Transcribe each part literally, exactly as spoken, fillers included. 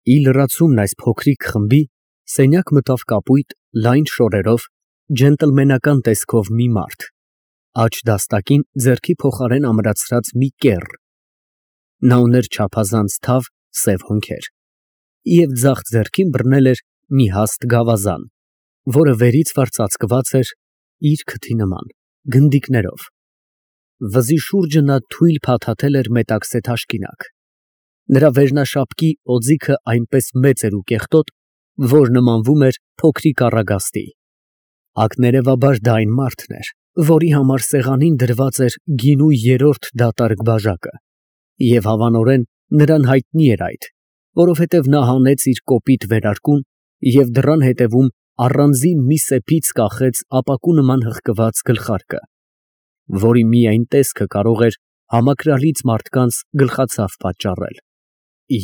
Ի լրացումն այս փոքրիկ խմբի սենյակ մտավ կապույտ, լայն շորերով, ջենտլմենական տեսքով մի մարդ, աջ դաստակին ձեռքի փոխարեն ամրացրած մի կեռ. նա ուներ չափազանց թավ, սև հոնքեր և ձախ ձեռքին բռնել էր մի հաստ գավազան, որը վերից վար ծածկված էր իր քթի նման գնդիկներով. վզի շուրջը նա թույլ փաթաթել էր մետաքսե թաշկինակ, նրա վերնաշապկի օձիքը այնպես մեծ էր ու կեղտոտ, որ նմանվում էր փոքրիկ առագաստի, ակներևաբար դա այն մարդն էր, որի համար սեղանին դրված էր գինու երրորդ դատարկ բաժակը, և հավանորեն նրան հայտնի էր այդ, որովհետև նա հանեց իր կոպիտ վերարկուն և դռան ետևում առանձին մի սեփից կախեց ապակու նման հղկված գլխարկը, որի միայն տեսքը կարող էր համակրալից մարդկանց գլխացավ պատճառել,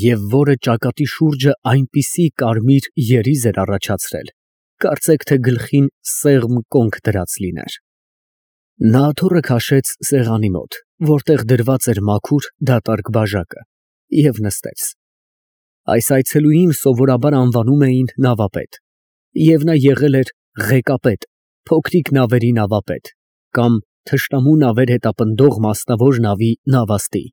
և որը ճակատի շուրջը այնպիսի կարմիր երիզ էր առաջացրել, կարծեք թե գլխին սեղմ կոնք դրած լիներ։ Նա աթոռը քաշեց սեղանի մոտ, որտեղ դրված էր մաքուր դատարկ բաժակը, և նստեց։ Այս այցելուին սովորաբար անվանում էին նավապետ, և նա եղել էր ղեկապետ, փոքրիկ նավերի նավապետ կամ թշնամու նավեր հետապնդող մասնավոր նավի նավաստի։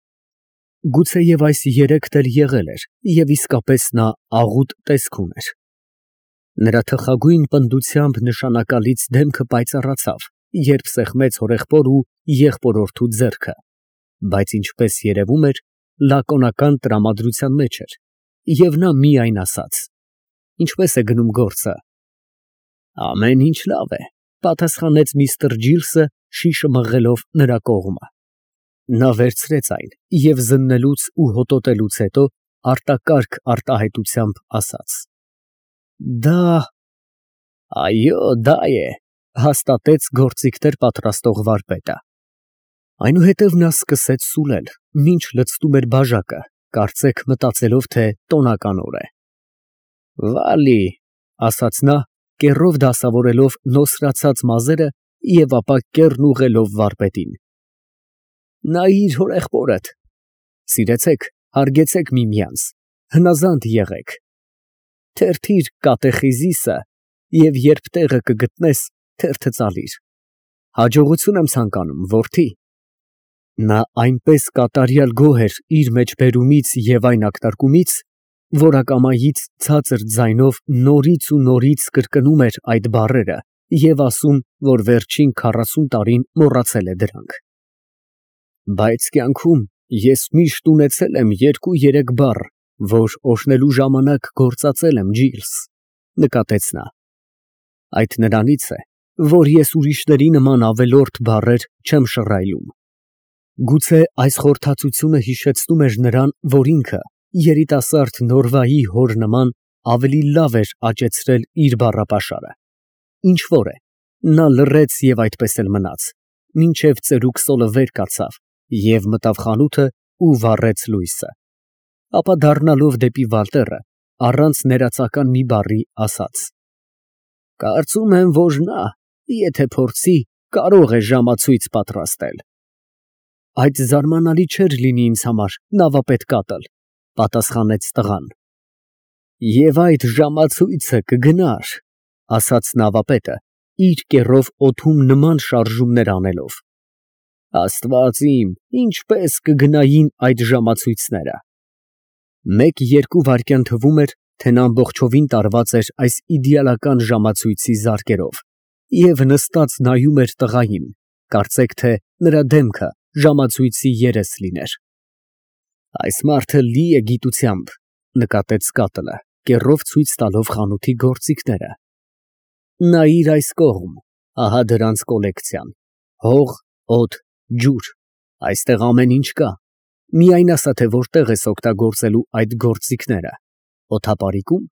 Գուցեև այս երեքն էլ եղել էր, և իսկապես նա աղուտ տեսք ուներ։ Նրա թխագույն պնդությամբ նշանակալից դեմքը պայծառացավ, երբ սեղմեց հորեղբոր ու եղբորորդու ձեռքը, բայց ինչպես երևում էր, լակոնական տրամադրության մեջ էր, և նա միայն ասաց. «Ինչպե՞ս է գնում գործը»։ «Ամեն ինչ լավ է», պատասխանեց միստր Ջիլսը, շիշը մղելով նրա կողմը։ Նա վերցրեց այն և զննելուց ու հոտոտելուց հետո արտակարգ արտահայտությամբ ասաց. «Դա… այո, դա է», հաստատեց գործիքներ պատրաստող վարպետը։ Այնուհետև նա սկսեց սուլել, մինչ լցնում էր բաժակը, կարծեք մտածելով, թե տոնական օր է։ «Վալի», ասաց նա, կեռով դասավորելով նոսրացած մազերը և ապա կեռն ուղղելով վարպետին։ «Նայիր հորեղբորդ, սիրեցեք, հարգեցեք միմյանց, հնազանդ եղեք, թերթիր կատեխիզիսը և երբ տեղը կգտնես, թերթը ծալիր։ Հաջողություն եմ ցանկանում, որդի»։ Նա այնպես կատարյալ գոհ էր իր մեջբերումից և այն ակնարկումից, որ ակամայից ցածր ձայնով նորից ու նորից կրկնում էր այդ բառերը և ասում, որ վերջին քառասուն տարին մոռացել է դրանք։ «Բայց կյանքում ես միշտ ունեցել եմ երկու֊երեք բառ, որ օրհնելու ժամանակ գործածել եմ, Ջիլս», նկատեց նա։ «Այդ նրանից է, որ ես ուրիշների նման ավելորդ բառեր չեմ շռայլում»։ Գուցե այս խորհրդածությունը հիշեցնում էր նրան, որ ինքը, երիտասարդ Նորվայի հոր նման, ավելի լավ էր աճեցրել իր բառապաշարը։ Ինչ֊որ է, նա լռեց և այդպես էլ մնաց, մինչև ծերուկ սոլը վեր կացավ և մտավ խանութը ու վառեց լույսը, ապա դառնալով դեպի Վալտերը, առանց ներածական մի բառի ասաց. «Կարծում եմ, որ նա, եթե փորձի, կարող է ժամացույց պատրաստել»։ «Այդ զարմանալի չէր լինի ինձ համար, նավապետ Կատլ», պատասխանեց տղան։ «Եվ այդ ժամացույցը կգնար», ասաց նավապետը, իր կեռով օդում նման շարժումներ անելով։ «Աստված իմ, ինչպես կգնային այդ ժամացույցները»։ Մեկ֊երկու վայրկյան թվում էր, թե նա ամբողջովին տարված էր այս իդեալական ժամացույցի զարկերով և նստած նայում էր տղային, կարծեք թե նրա դեմքը ժամացույցի երես լիներ։ «Այս մարդը լի է գիտությամբ», նկատեց Կատլը, կեռով ցույց տալով խանութի գործիքները։ «Նայիր այս կողմ, ահա դրանց կոլեկցիան, հող, օդ, ջուր, այստեղ ամեն ինչ կա, միայն ասա, թե որտեղ ես օգտագործելու այդ գործիքները, օդապարիկու՞մ,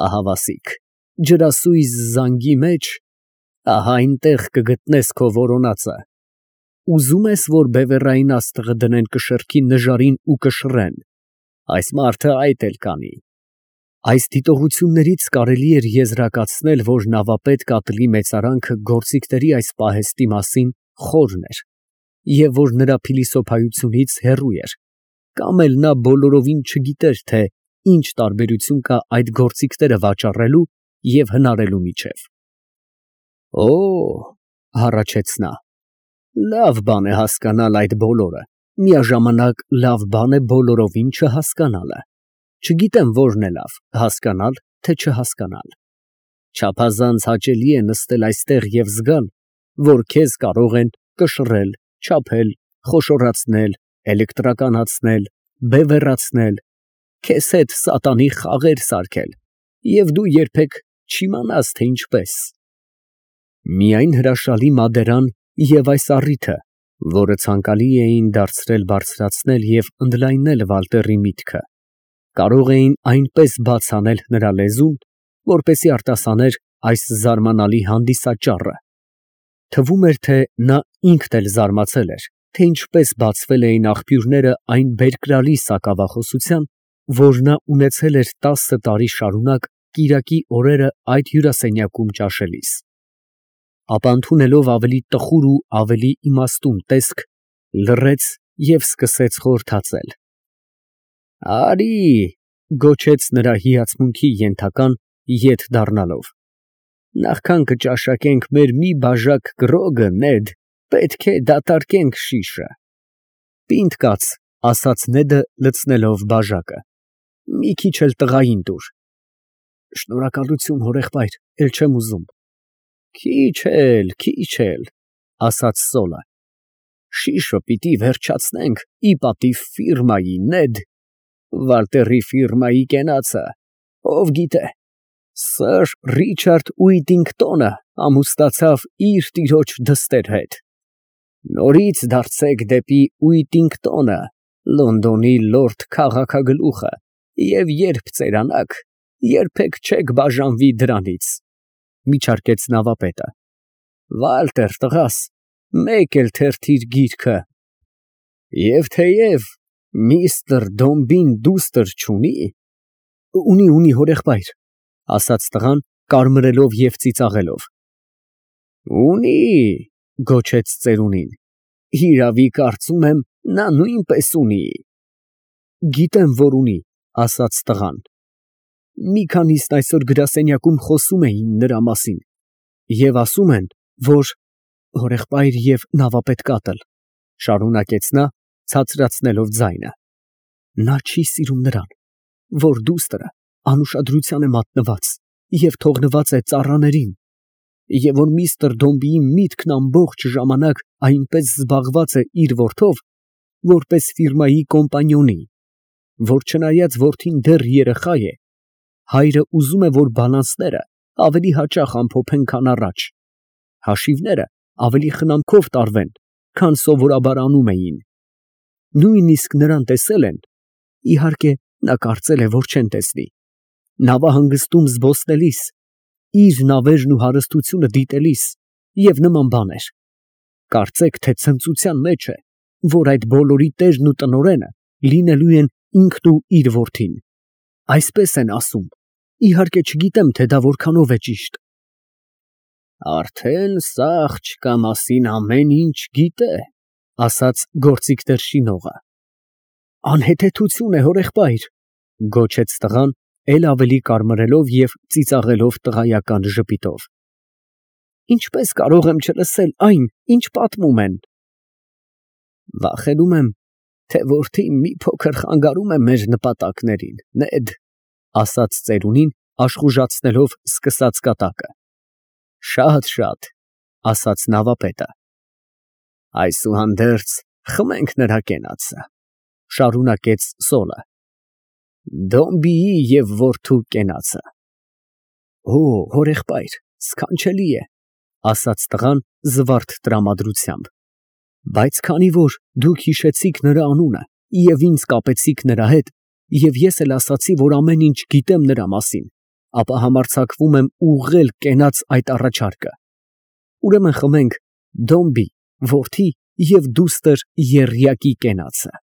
ահա վասիկ, ջրասույզ զանգի մեջ, ահա այնտեղ կգտնես քո որոնածը, ուզում ես, որ բևեռային աստղը դնեն կշեռքի նժարին ու կշռեն, այս մարդը այդ էլ կանի»։ Այս դիտողություններից կարելի էր եզրակացնել, որ նավապետ Կատլի մեծարանքը գործիքների այս պահեստի մասին խորն էր և որ նրա փիլիսոփայությունից հեռու էր, կամ էլ նա բոլորովին չգիտեր, թե ինչ տարբերություն կա այդ գործիքները վաճառելու և հնարելու միջև։ Օ, հառաչեց նա, լավ բան է հասկանալ այդ բոլորը, միաժամանակ լավ բան է բոլորովին չհասկանալը։ Չգիտեմ որն է լավ, հասկանալ, թե չհասկանալ։ Չափազանց հաճելի է նստել այստեղ և զգալ, որ քեզ կարող են կշռել, չափել, խոշորացնել, էլեկտրականացնել, բևեռացնել, քեզ հետ սատանի խաղեր սարքել, և դու երբեք չիմանաս, թե ինչպես։ Միայն հրաշալի մադերան և այս առիթը, որը ցանկալի էին դարձրել բարձրացնել և ընդլայնել Վալտերի միտքը, կարող էին այնպես բաց անել նրա լեզուն, որպեսզի արտասաներ այս զարմանալի հանդիսաճառը։ Թվում էր, թե նա ինքն էլ զարմացել էր, թե ինչպես բացվել էին աղբյուրները այն բերկրալի սակավախոսության, որ նա ունեցել էր տասը տարի շարունակ կիրակի օրերը այդ հյուրասենյակում ճաշելիս։ Ապա ընդունելով ավելի տխուր ու ավելի իմաստուն տեսք, լռեց և սկսեց խորհրդածել։ Արի, գոչեց նրա հիացմունքի ենթական, ետ դառնալով, նախքան կճաշակենք մեր մի բաժակ կռոգը, Նեդ, պետք է դատարկենք շիշը։ Պինդ կաց, ասաց Նեդը լցնելով բաժակը, մի քիչ էլ տղային տուր։ Շնորհակալություն, հորեղբայր, էլ չեմ ուզում։ Քիչ էլ, քիչ էլ, ասաց Սոլը, շիշը պիտի վերջացնենք ի պատիվ ֆիրմայի, Նեդ, Վալտերի ֆիրմայի կենացը, ով գիտե, սըր Ռիչարդ Ուիտինգտոնը ամուսնացավ իր տիրոջ դստեր հետ։ Նորից դարձեք դեպի Ուիտինգտոնը, Լոնդոնի լորդ քաղաքագլուխը, և երբ ծերանաք, երբեք չեք բաժանվի դրանից։ Միջարկեց նավապետը։ Վալտեր տղաս, մեկ էլ թերթիր գիրքը։ Եվ թեև միստր Դոմբին դուստր չունի։ Ունի, ունի, հորեղբայր, ասաց տղան, կարմրելով և ծիծաղելով։ Ունի, գոչեց ծերունին, հիրավի կարծում եմ, նա նույնպես ունի։ Գիտեմ, որ ունի, ասաց տղան։ Մի քանիսն այսօր գրասենյակում խոսում էին նրա մասին, և ասում են, որ… հորեղբայր և նավապետ կատլ, շարունակեց նա, ցածրացնելով ձայնը, նա չի սիրում նրան, որ դուստրը անուշադրության է մատնված և թողնված է ծառաներին, և որ միստր Դոմբիի միտքն ամբողջ ժամանակ այնպես զբաղված է իր որդով, որպես ֆիրմայի կոմպանիոնի, որ չնայած որդին դեռ երեխա է, հայրը ուզում է, որ բալանսները ավելի հաճախ ամփոփեն, քան առաջ, հաշիվները ավելի խնամքով տարվեն, քան սովորաբար անում էին։ Նույնիսկ նրան տեսել են, իհարկե, նա կարծել է, որ չեն տեսնի, նավահանգստում զբոսնելիս, իր նավերն ու հարստությունը դիտելիս և նման բաներ։ Կարծեք, թե ցնծության մեջ է, որ այդ բոլորի տերն ու տնօրենը լինելու են ինքն ու իր որդին։ Այսպես են ասում, իհարկե չգիտեմ, թե դա որքանով է ճիշտ։ Արդեն սա աղջկա մասին ամեն ինչ գիտե, ասաց գործիքներ շինողը։ Անհեթեթություն է, հորեղբայր, գոչեց տղան, էլ ավելի կարմրելով և ծիծաղելով տղայական ժպիտով։ Ինչպես կարող եմ չլսել այն, ինչ պատմում են։ Վախենում եմ, թե որդին մի փոքր խանգարում է մեր նպատակներին, Նեդ, ասաց ծերունին, աշխուժացնելով սկսած կատակը։ Շատ, ասաց նավապետը։ Այսուհանդերձ խմենք նրա կենացը, շարունակեց Սոլը։ Դոմբիի և որդու կենացը։ Օ, հորեղբայր, սքանչելի է, ասաց տղան զվարթ տրամադրությամբ, բայց քանի որ դուք հիշեցիք նրա անունը և ինձ կապեցիք նրա հետ, և ես էլ ասացի, որ ամեն ինչ գիտեմ նրա մասին, ապա համարձակվում եմ ուղղել կենաց այդ առաջարկը։ Ուրեմն խմենք Դոմբի, որդի և դուստր եռյակի կենացը։